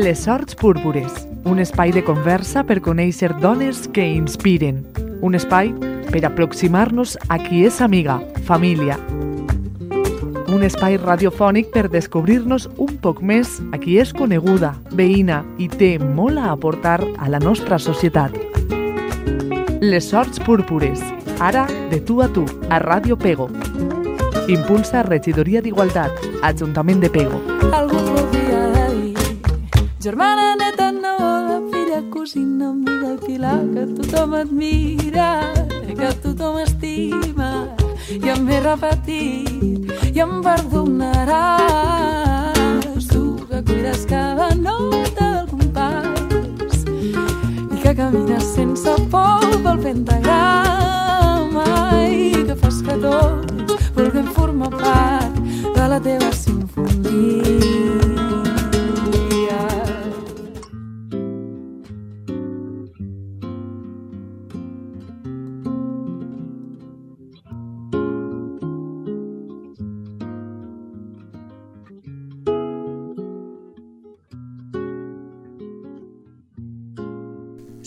Les Sorts Púrpures, un espai de conversa per conèixer dones que inspiren. Un espai per aproximar-nos a qui és amiga, família. Un espai radiofònic per descobrir-nos un poc més a qui és coneguda, veïna i té molt a aportar a la nostra societat. Les Sorts Púrpures, ara de tu a tu, a Ràdio Pego. Impulsa Regidoria d'Igualtat, Ajuntament de Pego. Algú podria dir, germana, neta, neboda, filla, cosina, amiga, pilar, que tothom admira, que tothom estima, i em ve repetit, i em perdonaràs, tu que cuides cada nota del compàs, i que camines sense por pel pentagrama, i que fas que tots vulguem formar part de la teva sinfonia.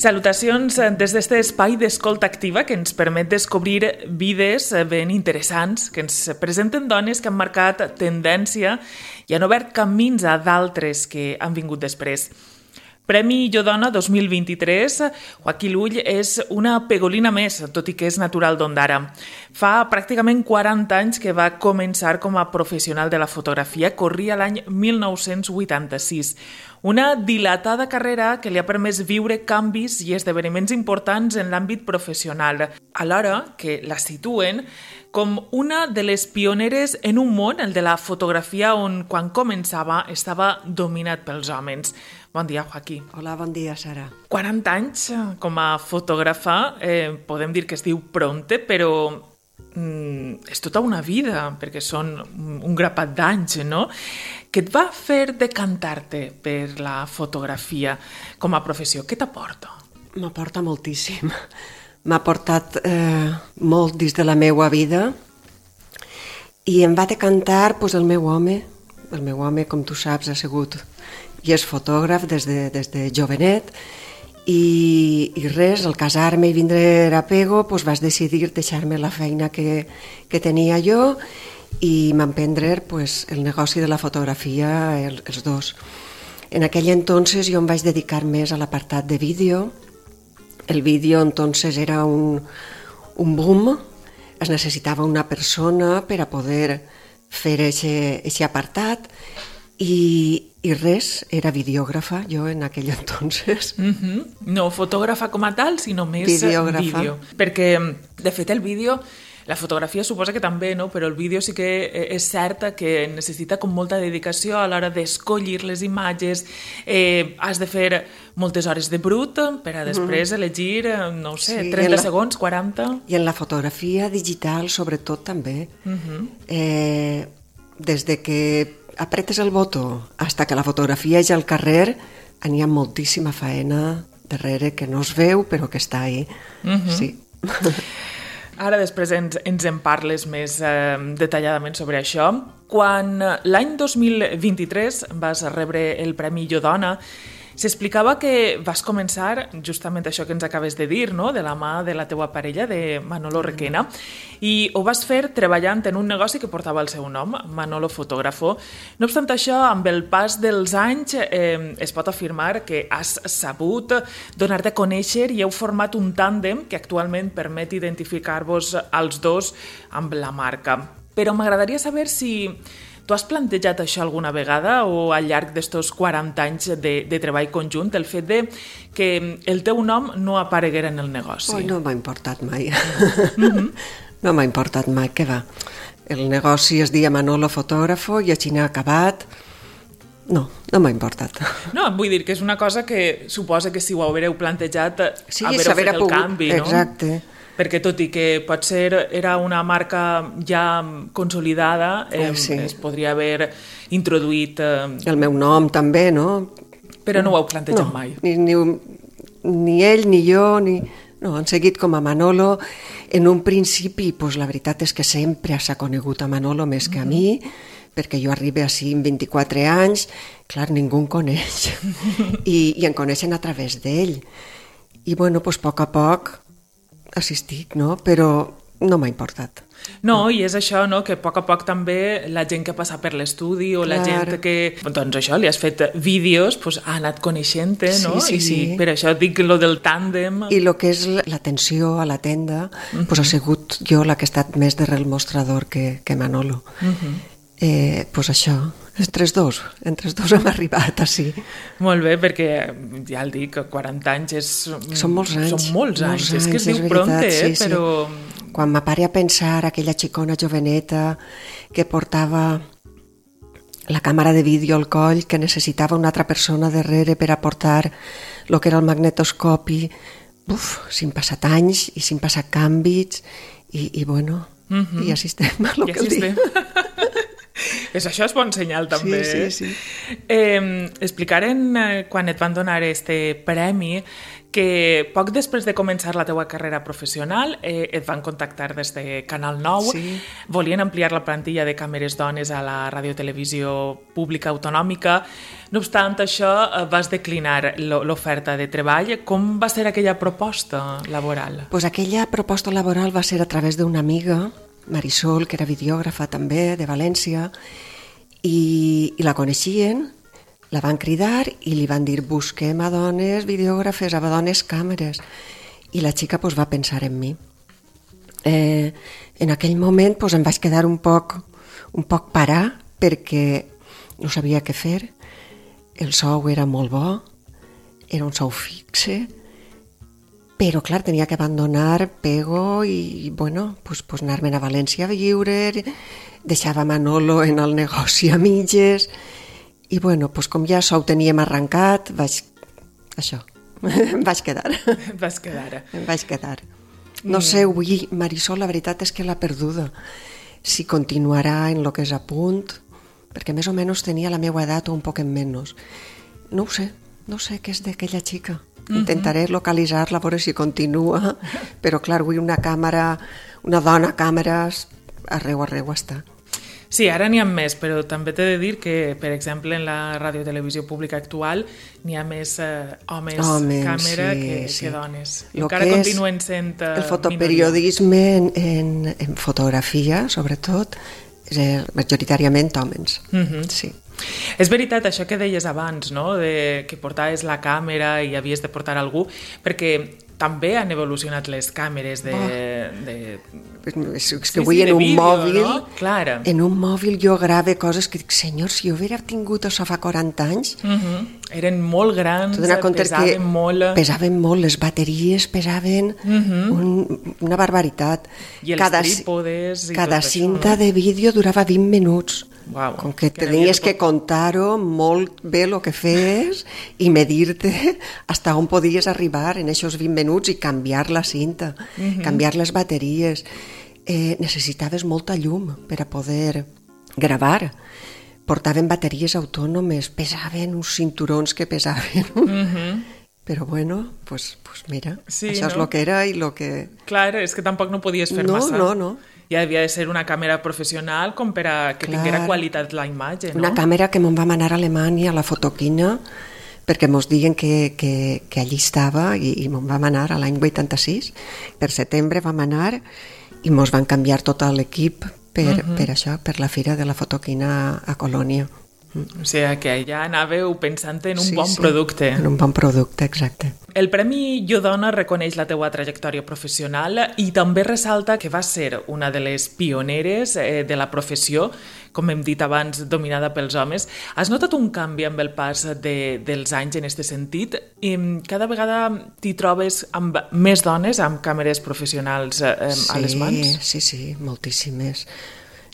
Salutacions des d'este espai d'escolta activa que ens permet descobrir vides ben interessants, que ens presenten dones que han marcat tendència i han obert camins a d'altres que han vingut després. Premi Jo Dona 2023, Joaquí Lull és una pegolina més, tot i que és natural d'Ondara. Fa pràcticament 40 anys que va començar com a professional de la fotografia, corria l'any 1986. Una dilatada carrera que li ha permès viure canvis i esdeveniments importants en l'àmbit professional, alhora que la situen com una de les pioneres en un món, el de la fotografia, on quan començava estava dominat pels homes. Bon dia, Joaquí. Hola, bon dia, Sara. 40 anys com a fotògrafa, podem dir que es diu pronte, però és tota una vida, perquè són un grapat d'anys, no? Què et va fer decantar-te per la fotografia com a professió? Què t'aporta? M'aporta moltíssim. M'ha portat molt dins de la meua vida i em va decantar el meu home. El meu home, com tu saps, ha sigut i és fotògraf des de jovenet i res, al casar-me i vindre a Pego vaig decidir deixar-me la feina que tenia jo i m'emprendre el negoci de la fotografia, els dos. En aquell entonces jo em vaig dedicar més a l'apartat de vídeo. El vídeo entonces era un boom, es necessitava una persona per a poder fer aquest apartat i res, era videògrafa jo en aquell entonces. No fotògrafa com a tal, sinó més videògrafa. Vídeo. Perquè, de fet, el vídeo, la fotografia suposa que també, no? Però el vídeo sí que és cert que necessita com molta dedicació a l'hora d'escollir les imatges, has de fer moltes hores de brut per a després elegir, no ho sé, 30 segons, 40... I en la fotografia digital, sobretot, també. Des de que apretes el botó fins que la fotografia és al carrer, n'hi ha moltíssima faena darrere que no es veu però que està ahí. Sí. Ara després ens en parles més detalladament sobre això. Quan l'any 2023 vas rebre el Premi Jo Dona, s'explicava que vas començar justament això que ens acabes de dir, no? De la mà de la teua parella, de Manolo Requena, i ho vas fer treballant en un negoci que portava el seu nom, Manolo Fotògrafo. No obstant això, amb el pas dels anys es pot afirmar que has sabut donar-te a conèixer i heu format un tàndem que actualment permet identificar-vos als dos amb la marca. Però m'agradaria saber si tu has plantejat això alguna vegada o al llarg d'estos 40 anys de treball conjunt, el fet de que el teu nom no apareguera en el negoci? No m'ha importat mai. No m'ha importat mai, què va? El negoci es deia Manolo Fotògrafo i així n'ha acabat. No m'ha importat. No, vull dir que és una cosa que suposa que si ho haureu plantejat haureu fet el canvi, no? Exacte. Perquè tot i que potser era una marca ja consolidada, es podria haver introduït... El meu nom també, no? Però no ho heu plantejat mai. Ni ell ni jo, no, han seguit com a Manolo. En un principi, la veritat és que sempre s'ha conegut a Manolo més que a mi, perquè jo arribo així amb 24 anys, clar, ningú em coneix, i em coneixen a través d'ell. I, bueno, doncs, a poc assistic, no? Però no m'ha importat. No, i és això, no?, que a poc també la gent que passa per l'estudi o la gent que, doncs això, li has fet vídeos, doncs ha anat coneixent-te, no? Sí. I per això dic lo del tàndem. I el que és l'atenció a la tenda, doncs ha sigut jo la que ha estat més darrere el mostrador que Manolo. Doncs això, entre els dos hem arribat així. Molt bé, perquè ja el dic, 40 anys són molts anys. Són molts anys. És que es diu prompte, però... Quan m'apare a pensar aquella xicona joveneta que portava la càmera de vídeo al coll, que necessitava una altra persona darrere per aportar el que era el magnetoscopi, s'hi han passat anys i s'hi han passat canvis i bueno, i així estem a lo que el dic. Això és bon senyal, també. Sí. Explicaren, quan et van donar este premi, que poc després de començar la teua carrera professional et van contactar des de Canal 9, volien ampliar la plantilla de càmeres dones a la radiotelevisió pública autonòmica. No obstant això, vas declinar l'oferta de treball. Com va ser aquella proposta laboral? Pues aquella proposta laboral va ser a través d'una amiga, Marisol, que era videògrafa també, de València, i la coneixien, la van cridar i li van dir busquem a dones videògrafes, a dones càmeres. I la xica va pensar en mi. En aquell moment em vaig quedar un poc parar perquè no sabia què fer. El sou era molt bo, era un sou fixe, però clar, tenia que abandonar Pego i bueno, anar-me'n a València a viure, deixava Manolo en el negoci a mitges. I bueno, com ja ho teníem arrencat, em vaig quedar. Em vaig quedar. No sé, avui Marisol, la veritat és que l'ha perduda. Si continuarà en el que és a punt, perquè més o menys tenia la meva edat o un poc en menys. No ho sé què és d'aquella xica. Intentaré localitzar-la, veure si continua, però clar, avui una dona càmeres, arreu està. Sí, ara n'hi ha més, però també t'he de dir que, per exemple, en la radiotelevisió pública actual n'hi ha més homes càmera que dones. Encara continuen sent el fotoperiodisme en fotografia, sobretot, és majoritàriament homes. Sí. És veritat això que deies abans, no?, de que portaves la càmera i havies de portar algú, perquè també han evolucionat les càmeres és que avui en un mòbil, no? En un mòbil jo grave coses que dic, senyor, si jo hubiera tingut això fa 40 anys... Eren molt grans, pesaven molt... Pesaven molt, les bateries pesaven una barbaritat. I els trípodes... Cada cinta de vídeo durava 20 minuts. Wow, com que tenies que contar-ho molt bé el que fes i medir-te fins on podies arribar en aquests 20 minuts i canviar la cinta, canviar les bateries. Necessitaves molta llum per a poder gravar. Portaven bateries autònomes, pesaven uns cinturons que pesaven. Però bueno, pues mira, això és el que era i el que... Clar, és que tampoc no podies fer massa. No. Ja havia de ser una càmera professional com per a que tinguera qualitat la imatge, no? Una càmera que me'n vam anar a Alemanya, a la Fotoquina, perquè mos diguen que allí estava i me'n vam anar a l'any 86. Per setembre vam anar i mos van canviar tot l'equip per això, per la fira de la Fotoquina a Colònia. O sigui que ja anàveu pensant en un bon producte. En un bon producte, exacte. El Premi Jo Dona reconeix la teua trajectòria professional i també ressalta que vas ser una de les pioneres de la professió, com hem dit abans, dominada pels homes. Has notat un canvi amb el pas dels anys en aquest sentit? I cada vegada t'hi trobes amb més dones amb càmeres professionals a les mans? Sí, moltíssimes.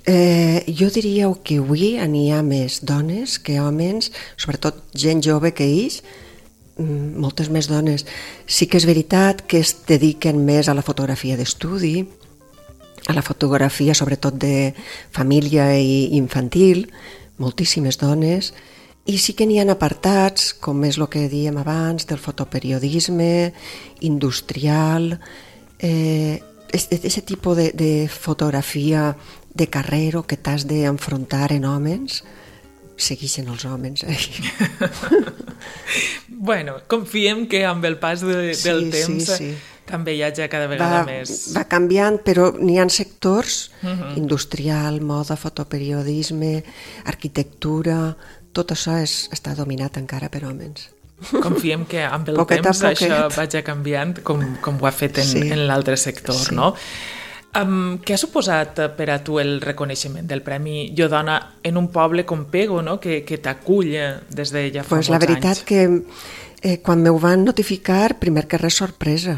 Jo diria que avui n'hi ha més dones que homes, sobretot gent jove que ells, moltes més dones. Sí que és veritat que es dediquen més a la fotografia d'estudi, a la fotografia sobretot de família i infantil, moltíssimes dones, i sí que n'hi ha apartats, com és el que dèiem abans, del fotoperiodisme, industrial, aquest tipus de fotografia de carrer o que t'has d'enfrontar en homes, segueixen els homes. Bueno, confiem que amb el pas del temps també hi hagi cada vegada més... Va canviant, però n'hi ha sectors, industrial, moda, fotoperiodisme, arquitectura, tot això està dominat encara per homes. Confiem que amb el temps això vagi canviant com ho ha fet en l'altre sector, no? Què ha suposat per a tu el reconeixement del Premi Jo Dona en un poble com Pego, no? que t'acull des de ja fa molts anys? La veritat que quan m'ho van notificar, primer que res sorpresa.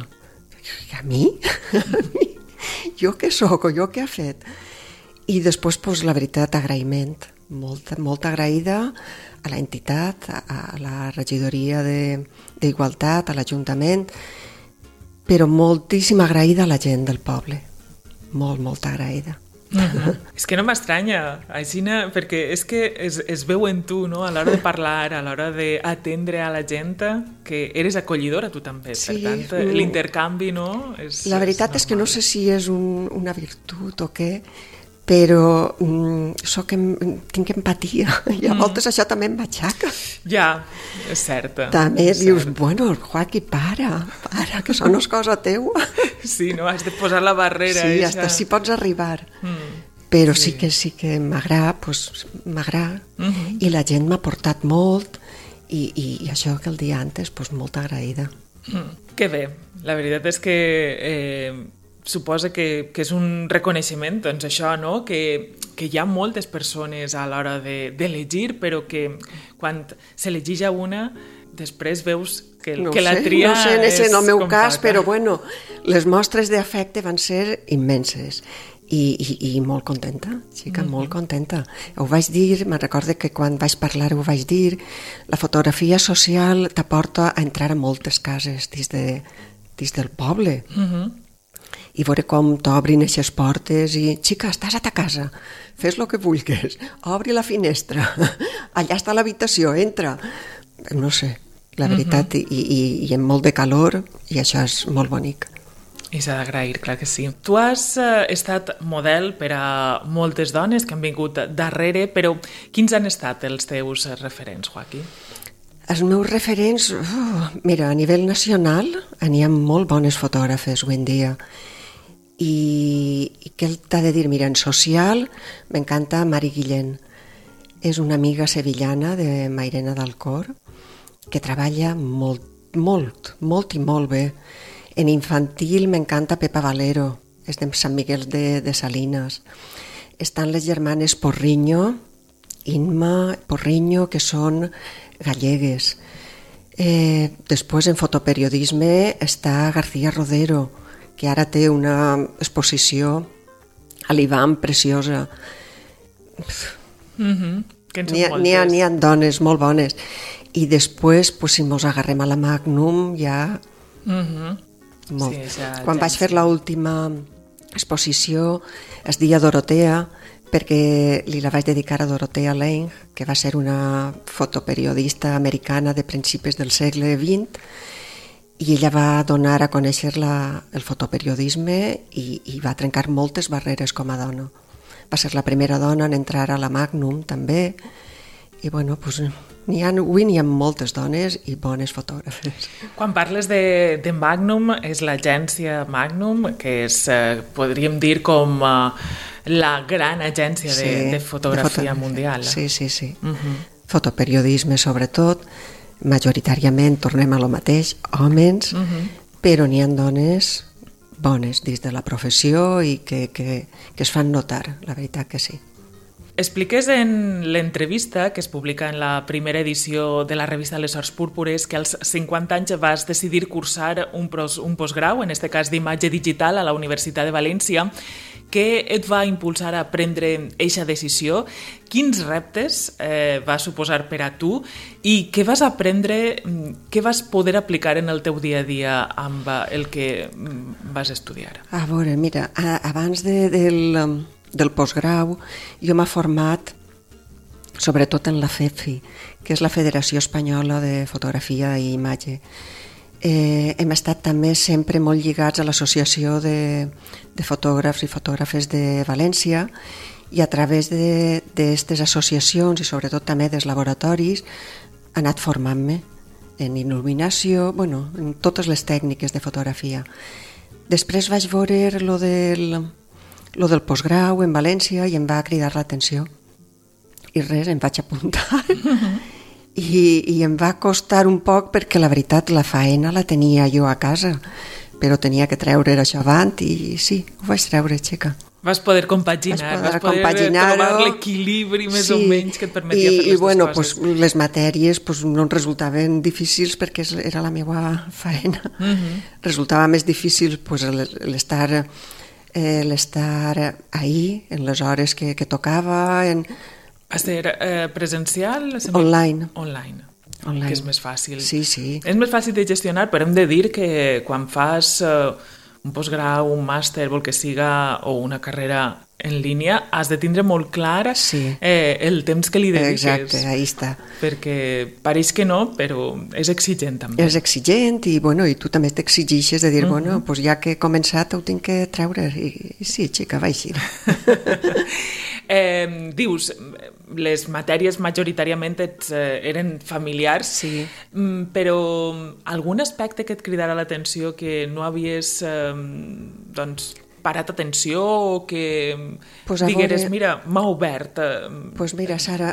A mi? Jo què soc o jo què he fet? I després, la veritat, agraïment. Molt agraïda a l'entitat, a la regidoria d'Igualtat, a l'Ajuntament, però moltíssima agraïda a la gent del poble. Molt agraïda. És que no m'estranya, Aixina, perquè és que es veu en tu, no? A l'hora de parlar, a l'hora d'atendre a la gent, que eres acollidora tu també. Sí, per tant, l'intercanvi, no? La veritat és que no sé si és una virtut o què, però tinc empatia i a voltes això també em matxaca. Ja, és cert. També dius, bueno, Joaquí, para, que això no és cosa teua. Sí, no? Has de posar la barrera. Sí, hasta si pots arribar. Però sí que m'agrada, i la gent m'ha portat molt, i això que el dia antes, molt agraïda. Que bé, la veritat és que suposa que és un reconeixement, doncs això, no? Que hi ha moltes persones a l'hora d'elegir, però que quan s'elegeix a una, després veus que la tria és compacta. No sé, en el meu cas, però bueno, les mostres d'afecte van ser immenses. I molt contenta, xica, molt contenta. Ho vaig dir, me'n recordo que quan vaig parlar ho vaig dir, la fotografia social t'aporta a entrar a moltes cases dins del poble. I veure com t'obrin aquestes portes i, xica, estàs a ta casa, fes el que vulguis, obri la finestra, allà està l'habitació, entra. No sé, la veritat, i amb molt de calor, i això és molt bonic. I s'ha d'agrair, clar que sí. Tu has estat model per a moltes dones que han vingut darrere, però quins han estat els teus referents, Joaquí? Els meus referents, mira, a nivell nacional n'hi ha molt bones fotògrafes avui en dia. I què t'ha de dir? Mira, en social m'encanta Mari Guillén. És una amiga sevillana de Mairena d'Alcor que treballa molt i molt bé. En infantil m'encanta Pepa Valero, és de Sant Miguel de Salines. Estan les germanes Porriño, Inma, Porriño, que són gallegues. Després en fotoperiodisme està García Rodero, que ara té una exposició a l'Ivam preciosa. N'hi ha dones molt bones. I després, si mos agarrem a la Magnum, ja... Quan vaig fer l'última exposició es deia Dorotea, perquè li la vaig dedicar a Dorotea Lange, que va ser una fotoperiodista americana de principis del segle XX, i ella va donar a conèixer el fotoperiodisme i va trencar moltes barreres com a dona. Va ser la primera dona en entrar a la Magnum també, i bueno, avui n'hi ha moltes dones i bones fotògrafes. Quan parles de Magnum, és l'agència Magnum, que és, podríem dir, com la gran agència de fotografia mundial. Sí. Fotoperiodisme, sobretot, majoritàriament, tornem a lo mateix, homes, però n'hi ha dones bones dins de la professió i que es fan notar, la veritat que sí. Expliques en l'entrevista que es publica en la primera edició de la revista Les Horts Púrpures que als 50 anys vas decidir cursar un postgrau, en aquest cas d'imatge digital a la Universitat de València. Què et va impulsar a prendre eixa decisió? Quins reptes va suposar per a tu? I què vas aprendre, què vas poder aplicar en el teu dia a dia amb el que vas estudiar? A veure, mira, abans del postgrau jo m'he format sobretot en la FEFI, que és la Federació Espanyola de Fotografia i Imatge. Hem estat també sempre molt lligats a l'Associació de Fotògrafs i Fotògrafes de València, i a través d'aquestes associacions i sobretot també dels laboratoris he anat formant-me en il·luminació, en totes les tècniques de fotografia. Després vaig veure lo del postgrau en València i em va cridar l'atenció. I res, em vaig apuntar. I em va costar un poc perquè la veritat la faena la tenia jo a casa, però tenia que treure això avant i sí, ho vaig treure, xica. Vas poder compaginar, vas poder trobar l'equilibri més o menys que et permetia fer les dues coses. I les matèries no em resultaven difícils perquè era la meva faena. Resultava més difícil l'estar ahí en les hores que tocava. Va ser presencial? Online. Online, que és més fàcil. Sí. És més fàcil de gestionar, però hem de dir que quan fas un postgrau, un màster, vol que siga, o una carrera en línia, has de tindre molt clar el temps que li dediques. Exacte, ahí està. Perquè pareix que no, però és exigent també. És exigent i tu també t'exigixes de dir, ja que he començat ho tinc que treure. I sí, xica, va així. Dius, les matèries majoritàriament eren familiars, però algun aspecte que et cridara l'atenció que no havies parat atenció o que digueres, mira, m'ha obert Doncs mira, Sara,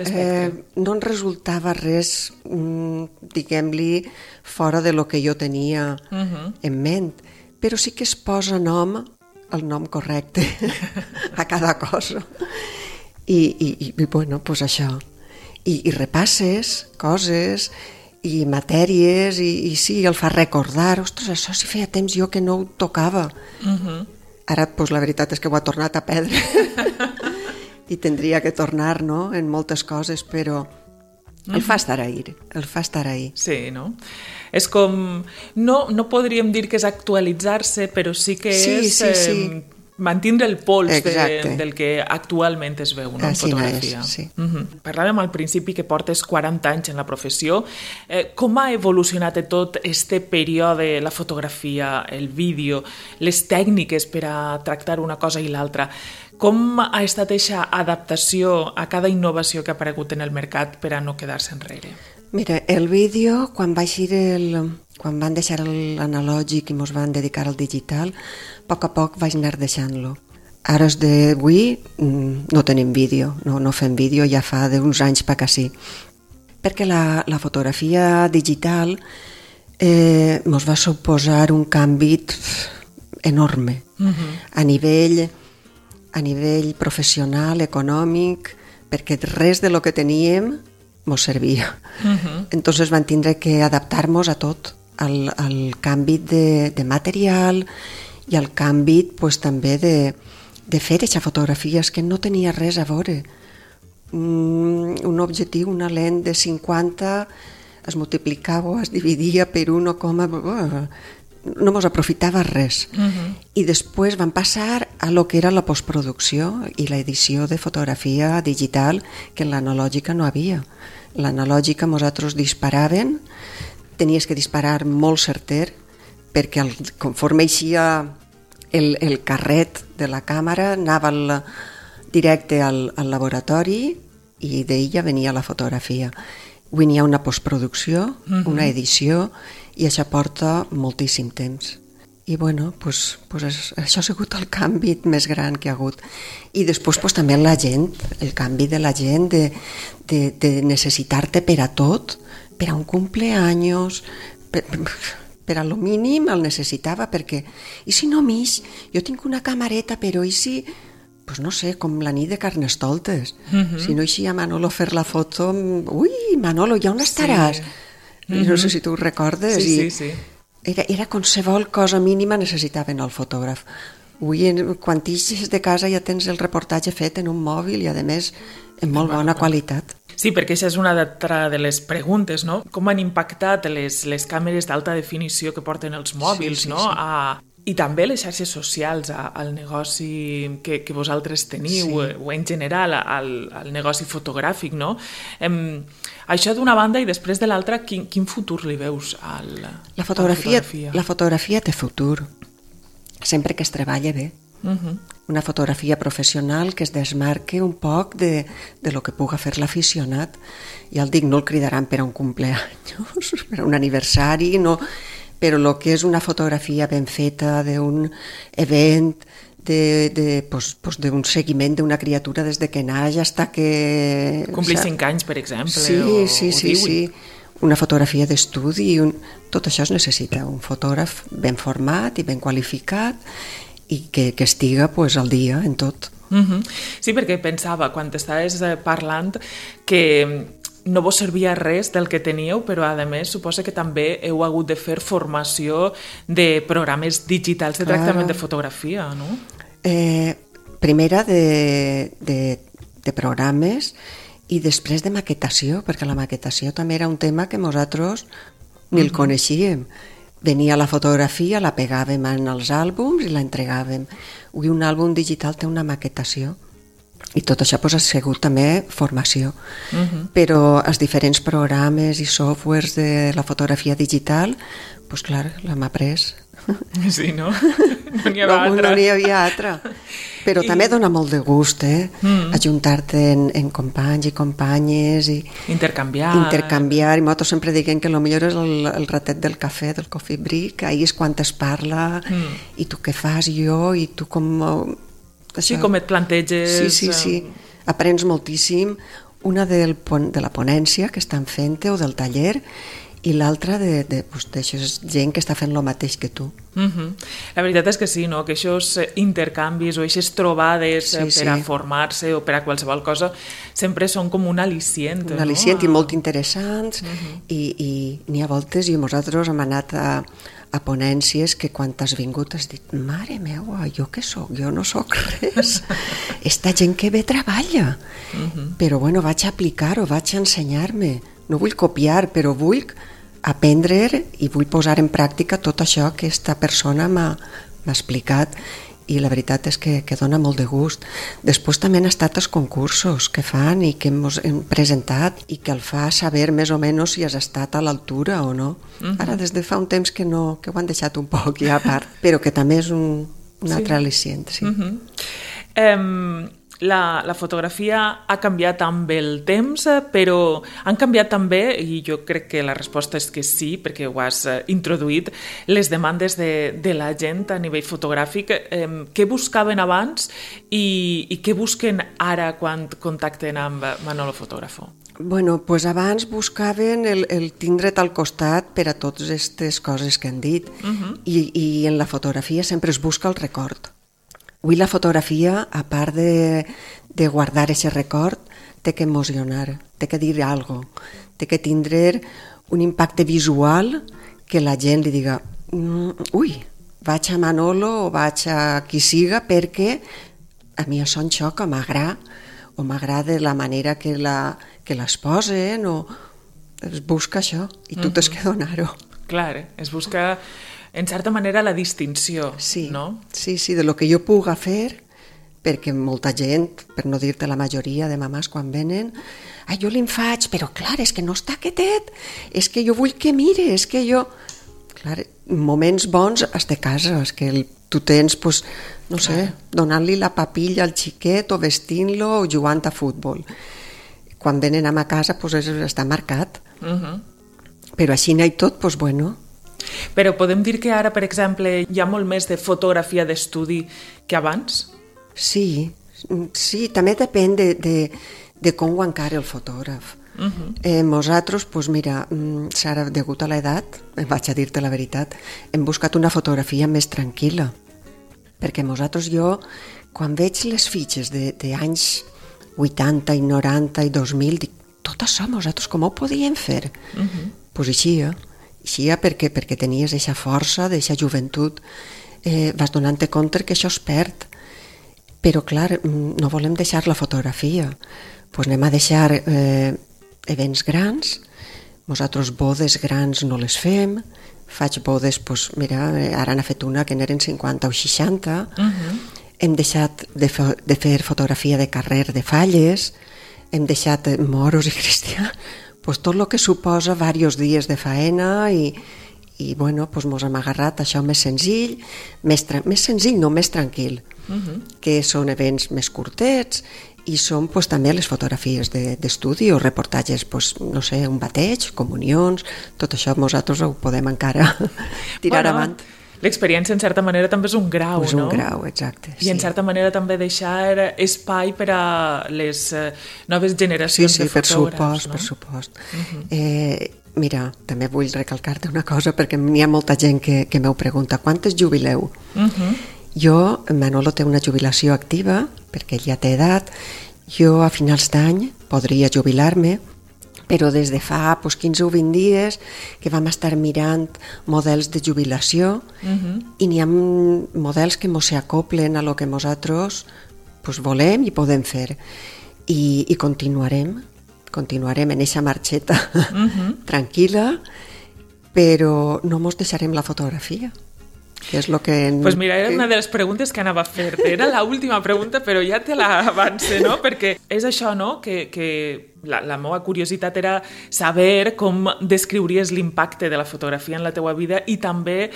no em resultava res, diguem-li, fora de lo que jo tenia en ment, però sí que es posa el nom correcte a cada cosa. I això. I repasses coses i matèries i sí, el fa recordar. Ostres, això si feia temps jo que no ho tocava. Ara, la veritat és que ho ha tornat a perdre i tindria que tornar, en moltes coses, però el fa estar ahí. Sí, no? És com... No podríem dir que és actualitzar-se, però sí que és... mantindre el pols del que actualment es veu en fotografia. Parlàvem al principi que portes 40 anys en la professió. Com ha evolucionat tot este període, la fotografia, el vídeo, les tècniques per a tractar una cosa i l'altra? Com ha estat aquesta adaptació a cada innovació que ha aparegut en el mercat per a no quedar-se enrere? Mira, el vídeo, quan van deixar l'analògic i ens van dedicar al digital, a poc vaig anar deixant-lo. Ara d'avui no tenim vídeo, no fem vídeo, ja fa d'uns anys per sí. Perquè la fotografia digital ens va suposar un canvi enorme a nivell professional, econòmic, perquè res de lo que teníem ens servia. Entonces van tindre que adaptar-nos a tot, al canvi de material i al canvi també de fer aquesta fotografia, és que no tenia res a veure. Un objectiu, una lent de 50 es multiplicava o es dividia per 1, no ens aprofitava res. I després van passar a lo que era la postproducció i l'edició de fotografia digital, que en l'analògica no havia. L'analògica nosaltres disparàvem, tenies que disparar molt certer, perquè conforme eixia el carret de la càmera anava directe al laboratori i d'ella venia la fotografia. Avui n'hi ha una postproducció, una edició, i això porta moltíssim temps. I això ha sigut el canvi més gran que ha hagut. I després també la gent, el canvi de la gent de necessitar-te per a tot, per a un cumpleaños, per a lo mínim el necessitava, perquè i si no m'ix, jo tinc una camareta, però i si... no sé, com la nit de Carnestoltes. Si no eixia Manolo a fer la foto, ui, Manolo, ja on estaràs? No sé si tu ho recordes. Sí. Era qualsevol cosa mínima necessitaven el fotògraf. Avui, quan t'ixes de casa ja tens el reportatge fet en un mòbil i, a més, en molt bona qualitat. Sí, perquè això és una altra de les preguntes, no? Com han impactat les càmeres d'alta definició que porten els mòbils, no? A I també les xarxes socials, al negoci que vosaltres teniu, o en general al negoci fotogràfic, no? Això d'una banda i després de l'altra, quin futur li veus a la fotografia? La fotografia té futur, sempre que es treballa bé. Una fotografia professional que es desmarque un poc de lo que puga fer l'aficionat. Ja el dic, no el cridaran per a un cumpleaños, per a un aniversari, no, però el que és una fotografia ben feta d'un event, d'un seguiment d'una criatura des de que naix fins que... Complir 5 anys, per exemple, sí. Una fotografia d'estudi, tot això es necessita, un fotògraf ben format i ben qualificat i que estiga al dia en tot. Sí, perquè pensava, quan estaves parlant, que no vos servia res del que teníeu, però a més suposa que també heu hagut de fer formació de programes digitals de tractament de fotografia, no? Primera de programes i després de maquetació, perquè la maquetació també era un tema que nosaltres ni el coneixíem. Venia la fotografia, la pegàvem en els àlbums i la entregàvem. Avui un àlbum digital té una maquetació i tot això ha sigut també formació. Però els diferents programes i softwares de la fotografia digital, doncs clar, l'hem après. Sí, no? No n'hi havia altra. Però també dona molt de gust, ajuntar-te en companys i companyes i intercanviar. I nosaltres sempre diguem que el millor és el ratet del cafè, del coffee break, ahir és quan es parla i tu què fas, jo, i tu com... Sí, com et planteges... Sí. Aprens moltíssim, una de la ponència que estan fent o del taller i l'altra d'això gent que està fent el mateix que tu. La veritat és que sí, no? Que aquests intercanvis o aquestes trobades per a formar-se o per a qualsevol cosa sempre són com un al·licient. Un al·licient i molt interessants i n'hi ha voltes i nosaltres hem anat a ponències que quan t'has vingut has dit, mare meua, jo què soc? Jo no soc res. Esta gent que bé treballa. Però bueno, vaig aplicar-ho, vaig ensenyar-me. No vull copiar, però vull aprendre i vull posar en pràctica tot això que aquesta persona m'ha explicat i la veritat és que dona molt de gust. Després també han estat els concursos que fan i que hem presentat i que el fa saber més o menys si has estat a l'altura o no. Ara des de fa un temps que ho han deixat un poc ja a part, però que també és un altre al·licient. La fotografia ha canviat amb el temps, però han canviat també, i jo crec que la resposta és que sí, perquè ho has introduït, les demandes de la gent a nivell fotogràfic. Què buscaven abans i què busquen ara quan contacten amb Manolo Fotógrafo? Bueno, doncs abans buscaven el tindre't al costat per a totes aquestes coses que han dit i en la fotografia sempre es busca el record. Avui la fotografia, a part de guardar aquest record, té que emocionar, té que dir alguna cosa, té que tindre un impacte visual que la gent li diga ui, vaig a Manolo o vaig a qui siga perquè a mi això em xoca, m'agrada la manera que les posen o es busca això i tu tens que donar-ho. Clar, es busca en certa manera la distinció, no? Sí, de lo que jo puga fer, perquè molta gent, per no dir-te la majoria de mamàs quan venen, jo li'n faig, però clar, és que no està quietet, és que jo vull que mire, és que jo... Clar, moments bons has de casa, és que tu tens, no sé, donant-li la papilla al xiquet o vestint-lo o jugant a futbol. Quan venen a casa està marcat. Però així n'hi ha tot, doncs bueno... Però podem dir que ara, per exemple, hi ha molt més de fotografia d'estudi que abans? Sí, també depèn de com ho encara el fotògraf. Nosaltres, doncs mira, Sara, degut a l'edat, vaig a dir-te la veritat, hem buscat una fotografia més tranquil·la, perquè nosaltres quan veig les fitxes d'anys 80 i 90 i 2000, dic, tot això nosaltres com ho podíem fer? Doncs així perquè tenies aquesta força, aquesta joventut, vas donant-te compte que això es perd. Però clar, no volem deixar la fotografia, doncs anem a deixar events grans, nosaltres bodes grans no les fem, faig bodes, doncs, mira, ara n'ha fet una que n'eren 50 o 60, hem deixat de fer fotografia de carrer de falles, hem deixat moros i cristians, doncs tot el que suposa diversos dies de faena i bueno, doncs mos hem agarrat a això més senzill, més senzill, no més tranquil, que són events més curtets i són doncs, també les fotografies d'estudi o reportatges, doncs, no sé, un bateig, comunions, tot això nosaltres ho podem encara tirar avant. L'experiència, en certa manera, també és un grau, no? És un grau, exacte. I, en certa manera, també deixar espai per a les noves generacions de fotògrafs, no? Per supost. Mira, també vull recalcar-te una cosa, perquè n'hi ha molta gent que m'ho pregunta, quantes jubileu? Jo, Manolo té una jubilació activa, perquè ell ja té edat, jo a finals d'any podria jubilar-me, però des de fa 15 o 20 dies que vam estar mirant models de jubilació i n'hi ha models que mos s'acoplen a lo que nosaltres volem i podem fer. I continuarem en eixa marxeta tranquil·la, però no mos deixarem la fotografia. Que és lo que... Pues mira, era una de les preguntes que anava a fer-te. Era l'última pregunta, però ja te l'avance, no? Perquè és això, no?, que la meva curiositat era saber com descriuries l'impacte de la fotografia en la teua vida i també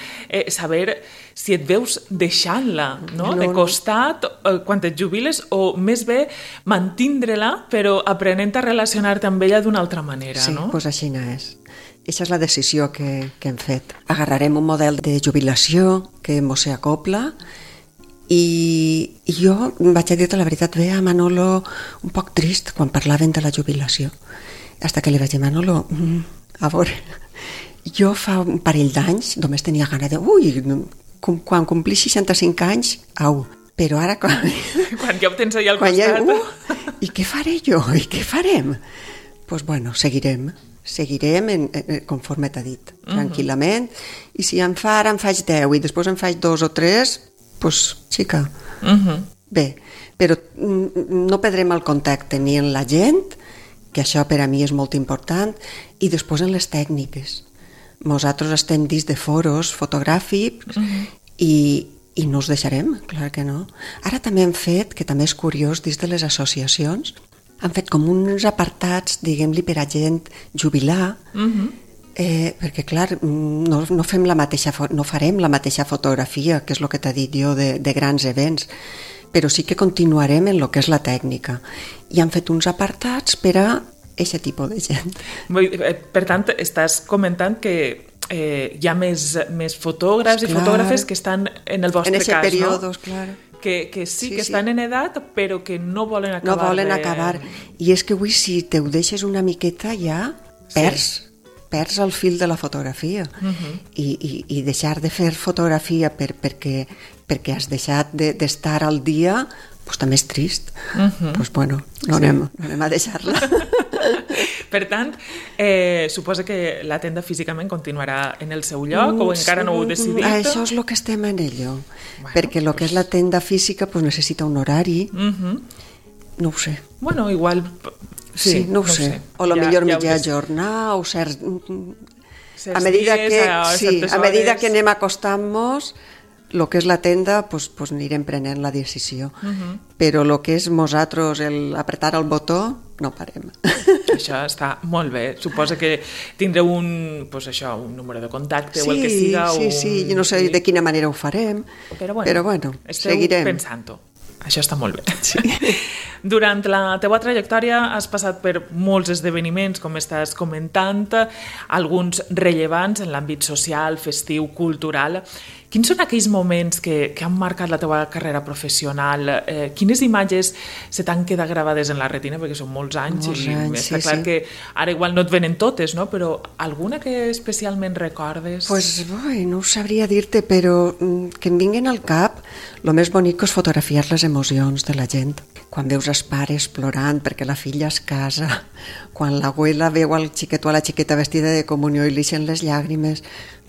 saber si et veus deixant-la, no? De costat quan et jubiles o més bé mantindre-la però aprenent a relacionar-te amb ella d'una altra manera, no? Sí, doncs així és. Aquesta és la decisió que hem fet. Agarrarem un model de jubilació que mos s'acopla i jo vaig a dir-te la veritat, veia a Manolo un poc trist quan parlaven de la jubilació. Hasta que li vaig dir, Manolo, a veure, jo fa un parell d'anys només tenia gana de, quan complís 65 anys, au, però ara quan ja ho tens allà al costat. I què faré jo? I què farem? Doncs bueno, seguirem conforme t'ha dit, tranquil·lament, i si em faig 10 i després em faig 2 o 3, doncs xica, bé, però no perdrem el contacte ni en la gent, que això per a mi és molt important, i després en les tècniques. Nosaltres estem dins de foros fotogràfics i no us deixarem, clar que no. Ara també hem fet, que també és curiós, dins de les associacions, han fet com uns apartats, diguem-li, per a gent jubilar, perquè, clar, no farem la mateixa fotografia, que és el que t'ha dit jo, de grans events, però sí que continuarem en el que és la tècnica. I han fet uns apartats per a aquest tipus de gent. Per tant, estàs comentant que hi ha més fotògrafs i fotògrafes que estan en el vostre cas, no? En aquest període, clar. Que sí, que estan en edat, però que no volen acabar. No volen acabar. I és que avui, si te ho deixes una miqueta, ja perds el fil de la fotografia. I deixar de fer fotografia perquè has deixat d'estar al dia, doncs també és trist. Doncs bueno, no anem a deixar-la. Per tant, suposa que la tenda físicament continuarà en el seu lloc o encara no ho heu decidit? Això és el que estem en ello, perquè el que és la tenda física necessita un horari, no ho sé. Bueno, igual... Sí, no ho sé. O millor mitja jornada, o certs... A medida que anem acostant-nos, el que és la tenda, doncs anirem prenent la decisió. Però el que és nosaltres, apretar el botó, no parem. Això està molt bé. Suposa que tindreu un número de contacte o el que siga. Sí, jo no sé de quina manera ho farem, però bueno, seguirem. Esteu pensant-ho. Això està molt bé. Sí. Durant la teua trajectòria has passat per molts esdeveniments, com estàs comentant, alguns rellevants en l'àmbit social, festiu, cultural. Quins són aquells moments que han marcat la teua carrera professional? Quines imatges se t'han quedat gravades en la retina? Perquè són molts anys i està clar que ara igual no et venen totes, no? Però alguna que especialment recordes? No ho sabria dir-te, però que em vinguin al cap, el més bonic és fotografiar les emocions de la gent. Quan veus els pares plorant perquè la filla es casa, quan l'abuela veu el xiquet o la xiqueta vestida de comunió i li eixen les llàgrimes,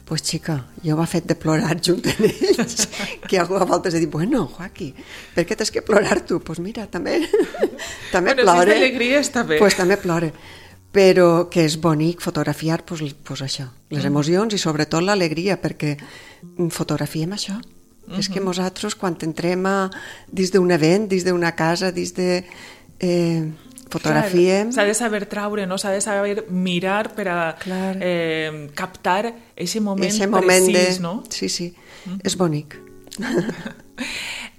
pues xica, jo m'ha fet de plorar junt amb ells, que a voltes he dit, bueno, Joaquí, per què t'has que plorar tu? Pues mira, també plore. Si és d'alegria està bé. Pues també plore. però que és bonic fotografiar pues això, les emocions i sobretot l'alegria, perquè fotografiem això. És que nosaltres quan entrem dins d'un event, dins d'una casa, dins de... fotografiem... S'ha de saber traure, no? S'ha de saber mirar per a captar aquest moment precís, no? Sí, és bonic.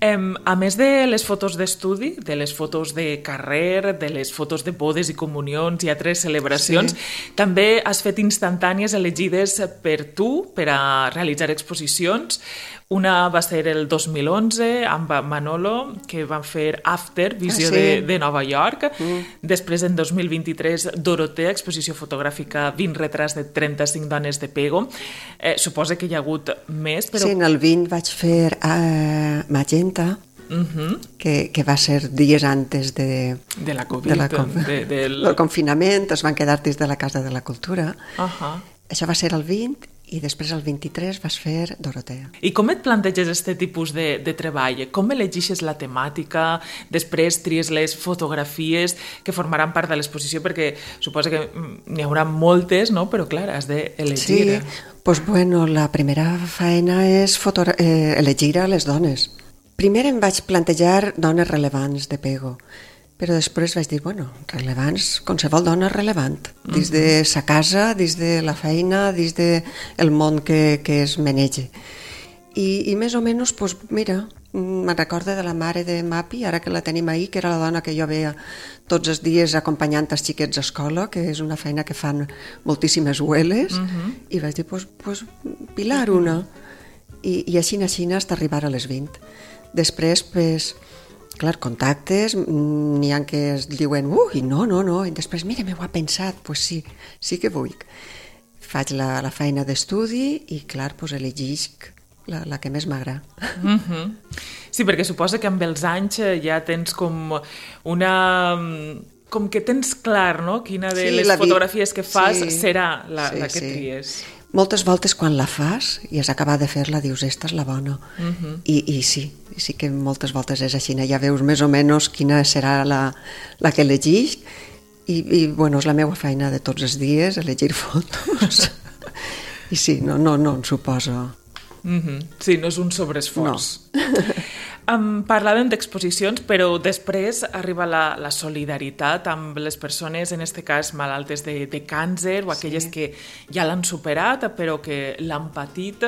A més de les fotos d'estudi, de les fotos de carrer, de les fotos de bodes i comunions i altres celebracions, també has fet instantànies elegides per tu per a realitzar exposicions. Una va ser el 2011 amb Manolo, que van fer After, visió de Nova York. Després, en 2023, Dorotea, exposició fotogràfica 20 retrats de 35 dones de Pego. Suposa que hi ha hagut més, però... Sí, en el 20 vaig fer Magenta, que va ser dies antes de la Covid, del confinament, es van quedar dins de la Casa de la Cultura. Això va ser el 20 i després el 23 vas fer Dorotea. I com et planteges aquest tipus de treball? Com elegixes la temàtica? Després tries les fotografies que formaran part de l'exposició, perquè suposa que n'hi haurà moltes, no? Però clar, has d'elegir. Sí, doncs bueno, la primera feina és elegir a les dones. Primer em vaig plantejar dones rellevants de Pego, però després vaig dir, bueno, rellevants, qualsevol dona rellevant, dins de sa casa, dins de la feina, dins del món que es manege. I més o menys, doncs, mira, me'n recordo de la mare de Mapi, ara que la tenim ahir, que era la dona que jo veia tots els dies acompanyant els xiquets a escola, que és una feina que fan moltíssimes hueles, i vaig dir, doncs, Pilar una. I així hasta arribar a les 20. Després, doncs, clar, contactes, n'hi ha que es diuen no, i després, mira, m'ho ha pensat, doncs sí que vull. Faig la feina d'estudi i, clar, doncs elegisc la que més m'agrada. Sí, perquè suposa que amb els anys ja tens com una... com que tens clar, no?, quina de les fotografies que fas serà la que tries. Moltes voltes quan la fas i has acabat de fer-la dius, esta és la bona. I sí que moltes voltes és així, ja veus més o menys quina serà la que elegix i bueno, és la meva feina de tots els dies, elegir fotos. I sí, no em suposo. Sí, no és un sobreesforç. Parlàvem d'exposicions, però després arriba la solidaritat amb les persones, en aquest cas malaltes de càncer o aquelles que ja l'han superat però que l'han patit.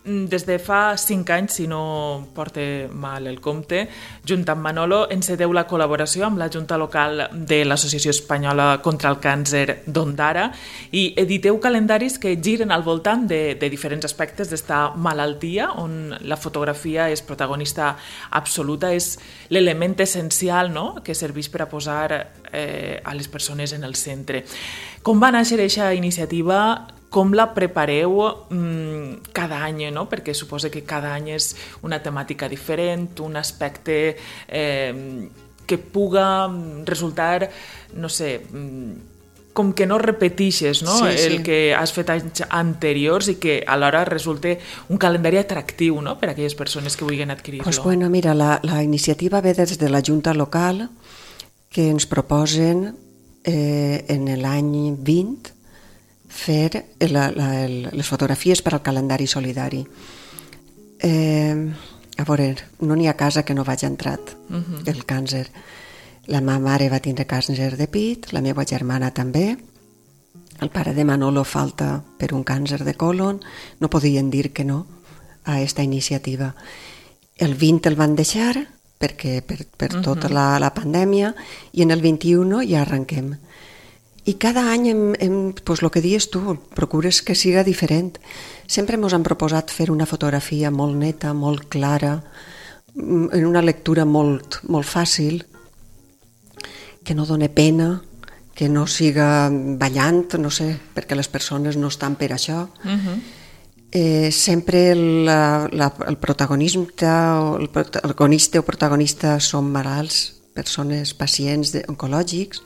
Des de fa 5 anys, si no porta mal el compte, junt amb Manolo, enceteu la col·laboració amb la Junta Local de l'Associació Espanyola contra el Càncer d'Ondara i editeu calendaris que giren al voltant de diferents aspectes d'esta malaltia, on la fotografia és protagonista absoluta, és l'element essencial, no?, que serveix per a posar a les persones en el centre. Com va néixer aquesta iniciativa? Com la prepareu cada any, no? Perquè suposa que cada any és una temàtica diferent, un aspecte que puga resultar, no sé, com que no repetixes, no? El que has fet anys anteriors i que alhora resulta un calendari atractiu, no?, per a aquelles persones que vulguin adquirir-lo. Doncs bueno, mira, la iniciativa ve des de la Junta Local, que ens proposen en l'any 20 fer les fotografies per al calendari solidari. A veure, no n'hi ha casa que no vagi entrat el càncer. La meva mare va tindre càncer de pit, la meva germana també, el pare de Manolo falta per un càncer de colon, no podien dir que no a aquesta iniciativa. El 20 el van deixar perquè per tota la pandèmia i en el 21 ja arrenquem. I cada any, pues, el que dius tu, procures que siga diferent. Sempre ens han proposat fer una fotografia molt neta, molt clara, en una lectura molt, molt fàcil, que no doni pena, que no siga ballant, no sé, perquè les persones no estan per això. Sempre el protagonista o protagonista són malalts, persones, pacients oncològics,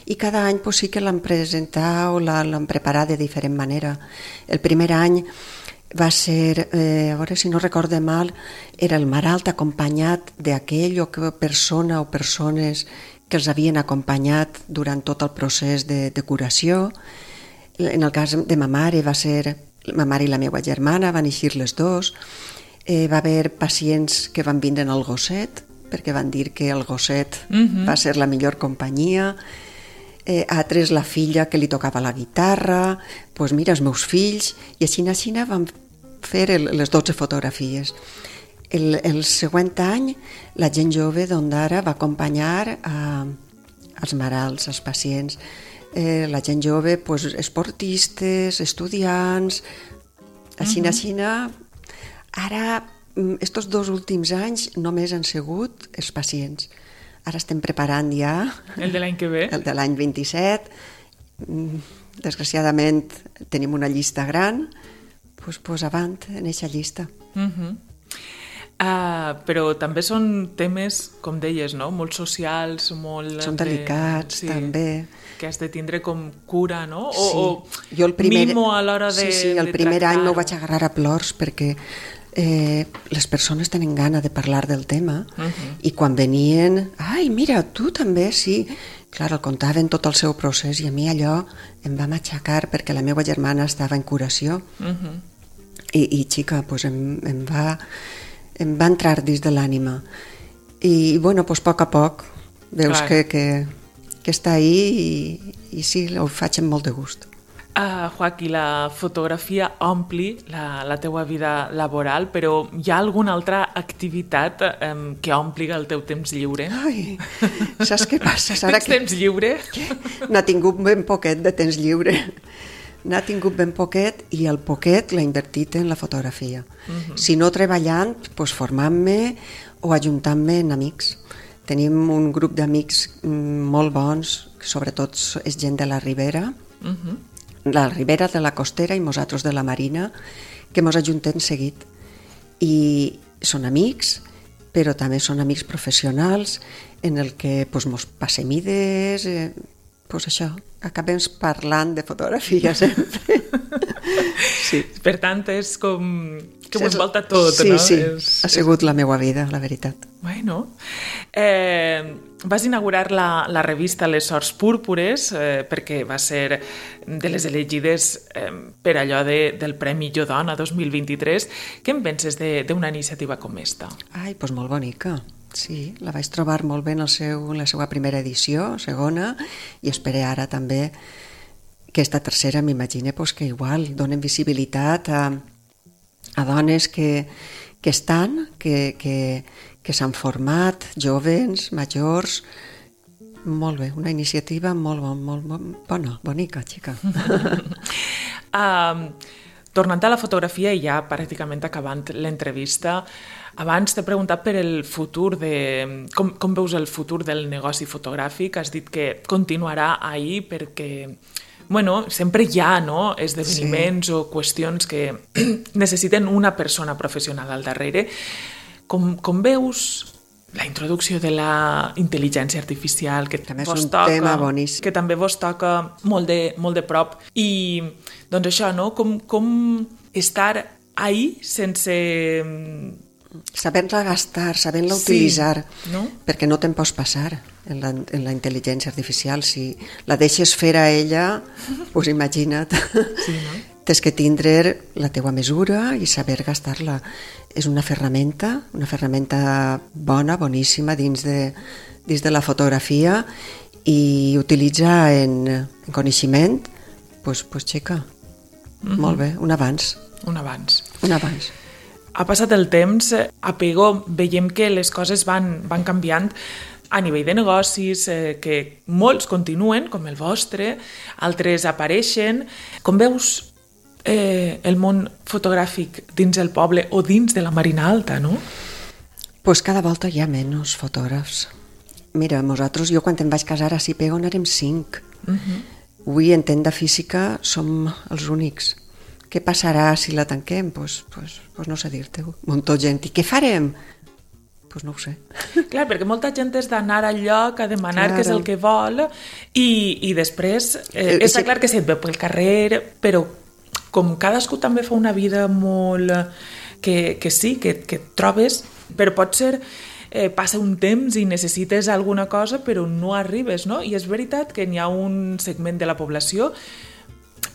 i cada any pues, sí que l'han presentat o l'han preparat de diferent manera. El primer any va ser, a veure si no recorde mal, era el malalt acompanyat d'aquell o persona o persones que els havien acompanyat durant tot el procés de curació. En el cas de ma mare va ser ma mare i la meva germana, van eixir les dos. Va haver pacients que van vindre al gosset, perquè van dir que el gosset va ser la millor companyia. Altres la filla que li tocava la guitarra, doncs mira, els meus fills, i així vam fer les 12 fotografies. El següent any, la gent jove d'Ondara va acompanyar als malalts, als pacients. La gent jove, doncs, esportistes, estudiants, així. Ara, estos 2 últims anys, només han sigut els pacients. Ara estem preparant ja... El de l'any que ve? El de l'any 27. Desgraciadament tenim una llista gran, doncs avant en aquesta llista. Però també són temes, com deies, no? Molt socials, molt... Són delicats, també. Que has de tindre com cura, no? Sí. Jo el primer... mimo a l'hora de el primer any m'ho vaig agarrar a plors perquè les persones tenen gana de parlar del tema i quan venien, ai, mira, tu també, sí. Clar, el contaven tot el seu procés i a mi allò em va matxacar perquè la meva germana estava en curació i xica, doncs em va entrar dins de l'ànima i, bueno, doncs a poc veus que està ahí i sí, ho faig amb molt de gust. Joaquí, la fotografia ompli la teua vida laboral, però hi ha alguna altra activitat que ompli el teu temps lliure? Ai, saps què passa? Tens temps lliure? N'ha tingut ben poquet de temps lliure. N'ha tingut ben poquet i el poquet l'ha invertit en la fotografia. Si no treballant, doncs formant-me o ajuntant-me en amics. Tenim un grup d'amics molt bons, sobretot és gent de la Ribera, la Ribera de la Costera i nosaltres de la Marina, que mos ajuntem seguit. I són amics, però també són amics professionals en el que mos passem idees, això, acabem parlant de fotografia sempre. Sí. Per tant, és com que ho envolta tot, sí, no? Sí, ha sigut la meva vida, la veritat. Bueno, vas inaugurar la revista Les Sorts Púrpures perquè va ser de les elegides per allò del Premi Jo Dona 2023. Què en penses d'una iniciativa com esta? Ai, doncs molt bonica. Sí, la vaig trobar molt bé en la seva primera edició, segona, i espero ara també que esta tercera m'imagine que igual donen visibilitat a dones que estan, que s'han format, joves, majors. Molt bé, una iniciativa molt bona, bonica, xica. Tornant a la fotografia i ja pràcticament acabant l'entrevista, abans t'he preguntat per el futur com veus el futur del negoci fotogràfic. Has dit que continuarà ahí perquè sempre hi ha esdeveniments o qüestions que necessiten una persona professional al darrere. Com veus la introducció de la intel·ligència artificial, que també és un tema boníssim, que també vos toca molt de prop, i doncs això, no? Com estar ahí sense... Sabent-la gastar, sabent-la utilitzar, no? Perquè no te'n pots passar en la intel·ligència artificial. Si la deixes fer a ella, doncs imagina't. Sí, no? Tens que tindre la teua mesura i saber gastar-la. És una ferramenta bona, boníssima dins de la fotografia i utilitza en coneixement, doncs xica, molt bé, un avanç. Un avanç. Ha passat el temps, a Pego veiem que les coses van canviant a nivell de negocis, que molts continuen, com el vostre, altres apareixen. Com veus el món fotogràfic dins el poble o dins de la Marina Alta, no? Pues cada volta hi ha menys fotògrafs. Mira, jo quan em vaig casar a Pego n'érem 5. Avui en tenda física som els únics. Què passarà si la tanquem? Pues no sé dir-te-ho. Molta gent. I què farem? Pues no ho sé. Clar, perquè molta gent és d'anar al lloc a demanar què és el que vol i després està clar que se't ve pel carrer, però com cadascú també fa una vida molt... que sí, que et trobes, però pot ser passa un temps i necessites alguna cosa però no arribes, no? I és veritat que n'hi ha un segment de la població,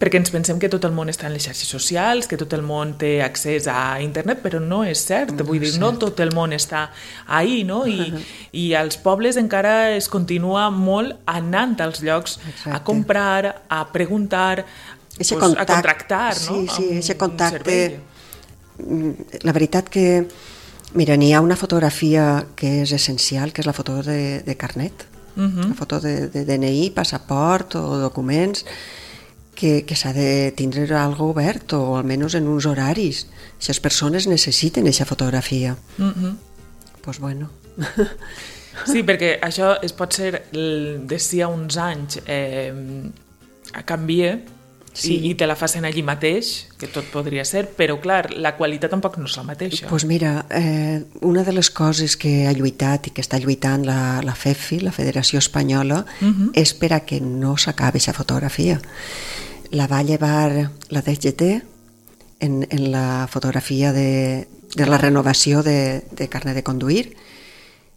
perquè ens pensem que tot el món està en les xarxes socials, que tot el món té accés a internet, però no és cert. Vull dir, no tot el món està ahí, no? I als pobles encara es continua molt anant als llocs a comprar, a preguntar, a contractar, no? Sí, aquest contacte. La veritat que, mira, n'hi ha una fotografia que és essencial, que és la foto de carnet, la foto de DNI, passaport o documents, que s'ha de tindre algo obert o almenys en uns horaris. Si les persones necessiten aquesta fotografia. Doncs bueno. Sí, perquè això es pot ser d'ací a uns anys canvia i te la facin allí mateix, que tot podria ser, però clar, la qualitat tampoc no és la mateixa. Doncs mira, una de les coses que ha lluitat i que està lluitant la FEFI, la Federació Espanyola, és per a que no s'acabi aquesta fotografia. La va llevar la DGT en la fotografia de la renovació de carnet de conduir.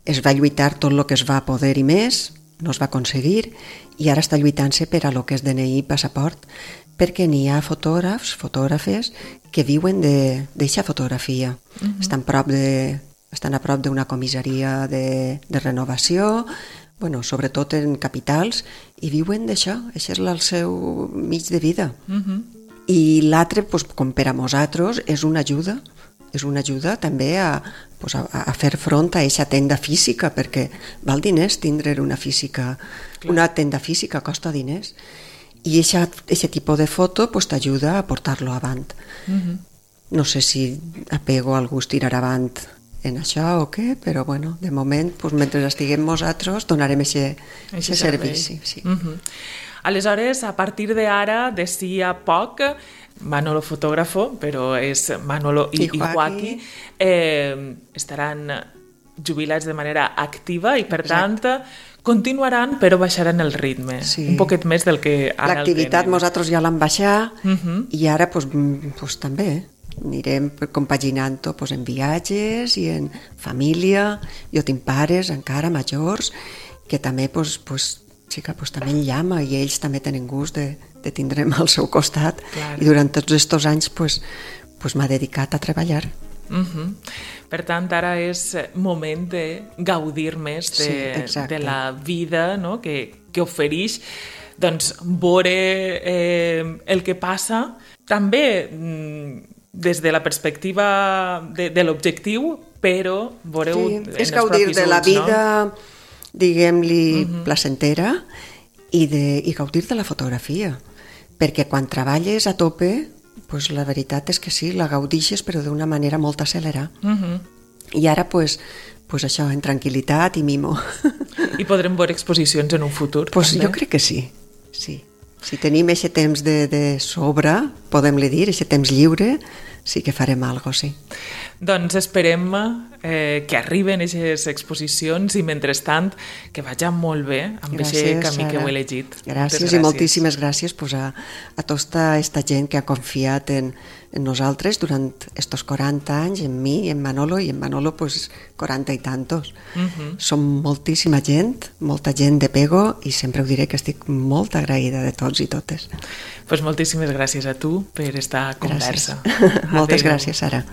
Es va lluitar tot el que es va poder i més, no es va aconseguir, i ara està lluitant-se per a lo que és DNI i passaport, perquè n'hi ha fotògrafes que viuen d'eixa fotografia. Estan a prop d'una comissaria de renovació, sobretot en capitals, i viuen d'això, això és el seu mig de vida. I l'altre, com per a nosaltres, és una ajuda també a fer front a aquesta tenda física, perquè val diners tindre una tenda física costa diners, i aquest tipus de foto t'ajuda a portar-lo avant. No sé si apego al gust tirar avant en això o què, però de moment, mentre estiguem nosaltres, donarem aquest servici. Aleshores, a partir d'ara, d'ací a poc, Manolo fotògrafo, però és Manolo i Joaquí, estaran jubilats de manera activa i, per tant, continuaran, però baixaran el ritme, un poquet més del que ara el tenen. L'activitat nosaltres ja l'hem baixat i ara també anirem compaginant-ho en viatges i en família. Jo tinc pares encara majors que també també en llama i ells també tenen gust de tindre'm al seu costat. I durant tots aquests anys m'ha dedicat a treballar. Per tant, ara és moment de gaudir més de la vida que ofereix, veure el que passa també des de la perspectiva de l'objectiu, però veureu en els propis ulls. És gaudir de la vida, diguem-li, placentera, i gaudir de la fotografia, perquè quan treballes a tope, la veritat és que sí, la gaudixes, però d'una manera molt acelerada. I ara, això, en tranquil·litat i mimo. I podrem veure exposicions en un futur? Jo crec que sí. Si tenim aquest temps de sobre, podem-li dir, aquest temps lliure, sí que farem alguna cosa, sí. Doncs esperem que arriben aquestes exposicions i, mentrestant, que vagi molt bé amb aquest camí que heu elegit. Gràcies i moltíssimes gràcies a tota aquesta gent que ha confiat en nosaltres durant estos 40 anys, en mi, en Manolo, i en Manolo 40 i tantos. Som moltíssima gent, molta gent de pego, i sempre ho diré que estic molt agraïda de tots i totes. Moltíssimes gràcies a tu per esta conversa. Moltes gràcies, Sara.